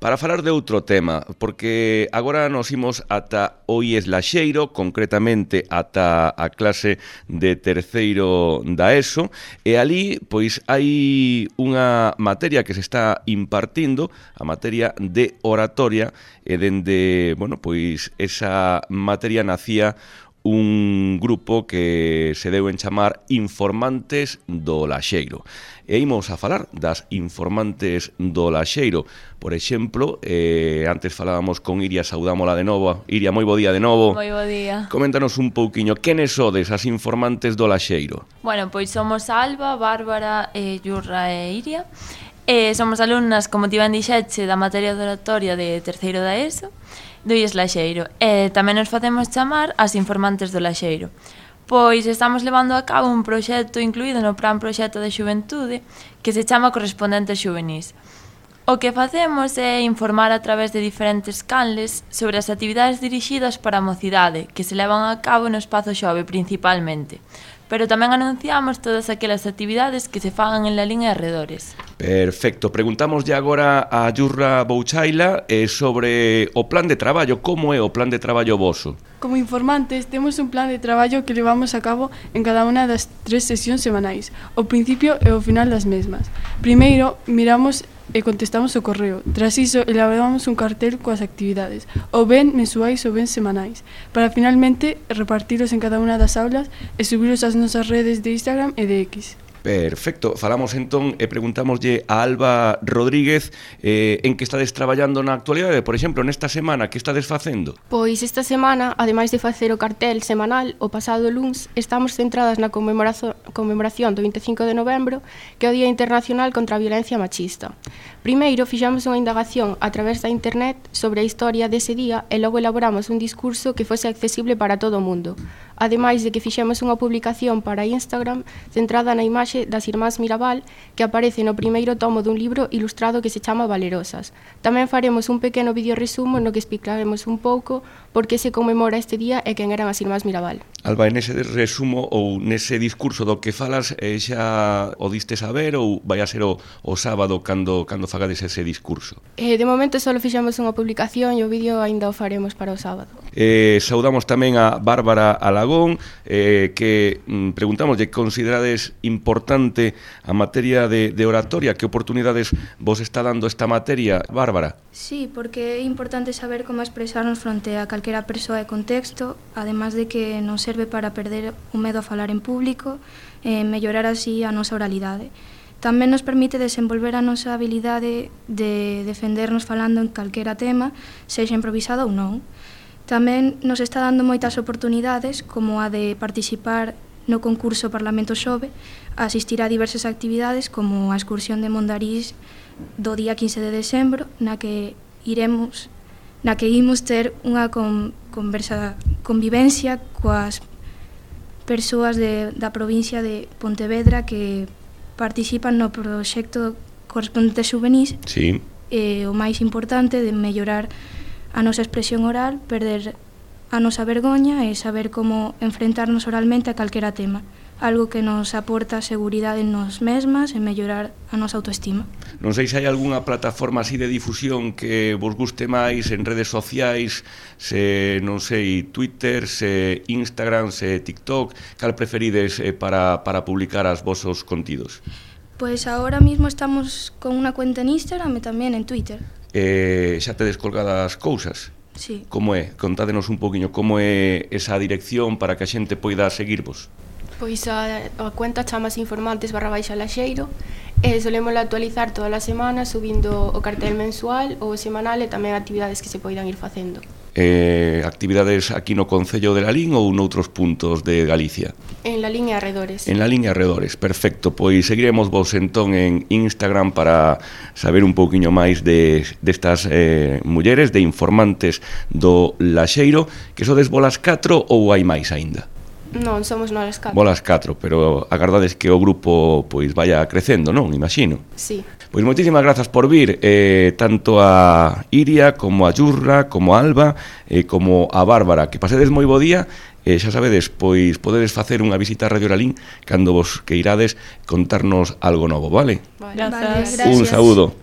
para falar de outro tema, porque agora nos imos ata o IES Laxeiro, concretamente ata a clase de terceiro da ESO, e ali pois hai unha materia que se está impartindo, a materia de oratoria, e dende, bueno, pois esa materia nacía un grupo que se deu en chamar Informantes do Laxeiro. E imos a falar das informantes do Laxeiro. Por exemplo, antes falábamos con Iria, saudámola de novo. Iria, moi bo día de novo. Moi bo día. Coméntanos un pouquiño, quenes sodes as informantes do Laxeiro? Bueno, pois somos Alba, Bárbara, Yurra e Iria. Somos alumnas, como ti ben dixeche, da materia de oratoria de terceiro da ESO, do IES Laxeiro. Tamén nos facemos chamar as informantes do Laxeiro. Pois estamos levando a cabo un proxecto incluído no Plan Proxecto de Xuventude que se chama Correspondentes Xuvenís. O que facemos é informar a través de diferentes canles sobre as actividades dirixidas para a mocidade que se levan a cabo no espazo xove principalmente, pero tamén anunciamos todas aquelas actividades que se fagan en Lalín e arredores. Perfecto. Preguntámoslle agora a Yurra Bouchaila sobre o plan de traballo. Como é o plan de traballo voso? Como informantes, temos un plan de traballo que levamos a cabo en cada unha das 3 sesións semanais, ao principio e ao final das mesmas. Primeiro, miramos e contestamos o correo. Tras iso, elaboramos un cartel coas actividades, ou ben mensuais ou ben semanais, para finalmente repartilos en cada unha das aulas e subilos ás nosas redes de Instagram e de X. Perfecto, falamos entón e preguntámoslle a Alba Rodríguez en que estades traballando na actualidade, por exemplo, nesta semana, que estades facendo? Pois esta semana, ademais de facer o cartel semanal, o pasado luns, estamos centradas na conmemoración do 25 de novembro, que é o Día Internacional contra a Violencia Machista. Primeiro, fixamos unha indagación a través da internet sobre a historia dese día e logo elaboramos un discurso que fose accesible para todo o mundo. Ademais de que fixemos unha publicación para Instagram centrada na imaxe das Irmás Mirabal que aparece no primeiro tomo dun libro ilustrado que se chama Valerosas. Tamén faremos un pequeno vídeo resumo no que explicaremos un pouco por que se conmemora este día e quen eran as Irmás Mirabal. Alba, en ese resumo ou nese discurso do que falas xa o diste saber ou vai a ser o sábado cando fagades ese discurso? De momento só fixemos unha publicación e o vídeo aínda o faremos para o sábado. Saudamos tamén a Bárbara Alagón, que preguntámoslle, considerades importante a materia de oratoria? Que oportunidades vos está dando esta materia, Bárbara? Sí, porque é importante saber como expresarnos fronte a calquera persoa e contexto, además de que nos serve para perder o medo a falar en público e mellorar así a nosa oralidade. Tamén nos permite desenvolver a nosa habilidade de defendernos falando en calquera tema, sexa improvisado ou non. Tamén nos está dando moitas oportunidades, como a de participar no concurso Parlamento Xove, a asistir a diversas actividades como a excursión de Mondarís do día 15 de decembro, na que imos ter unha convivencia coas persoas da provincia de Pontevedra que participan no proxecto Correspondentes Xuvenís. Sí. O máis importante de mellorar a nosa expresión oral, perder a nosa vergoña e saber como enfrentarnos oralmente a calquera tema, algo que nos aporta seguridade en nos mesmas e mellorar a nosa autoestima. Non sei se hai algunha plataforma así de difusión que vos guste máis en redes sociais, se, non sei, Twitter, se Instagram, se TikTok, cal preferides para publicar as vosos contidos? Pois agora mismo estamos con unha cuenta en Instagram e tamén en Twitter. Xa tedes colgadas cousas? Sí. Como é? Contádenos un poquinho como é esa dirección para que a xente poida seguirvos. Pois a cuenta chamase informantes_laxeiro e solemos actualizar todas as semanas subindo o cartel mensual ou semanal e tamén actividades que se poidan ir facendo. Actividades aquí no Concello de Lalín ou noutros puntos de Galicia? En Lalín e arredores. En Lalín e arredores, perfecto. Pois seguiremos vos entón en Instagram para saber un pouquiño máis destas mulleres, de informantes do Laxeiro, que sodes volas 4 ou hai máis aínda? Non, somos nós 4. Volas 4, pero agardades que o grupo pois vaya crecendo, non? Imagino. Sí. Pois moitísimas grazas por vir, tanto a Iria, como a Yurra, como a Alba, como a Bárbara. Que pasedes moi bo día, xa sabedes, pois podedes facer unha visita a Radio Lalín cando vos queirades contarnos algo novo, vale? Grazas. Un saúdo.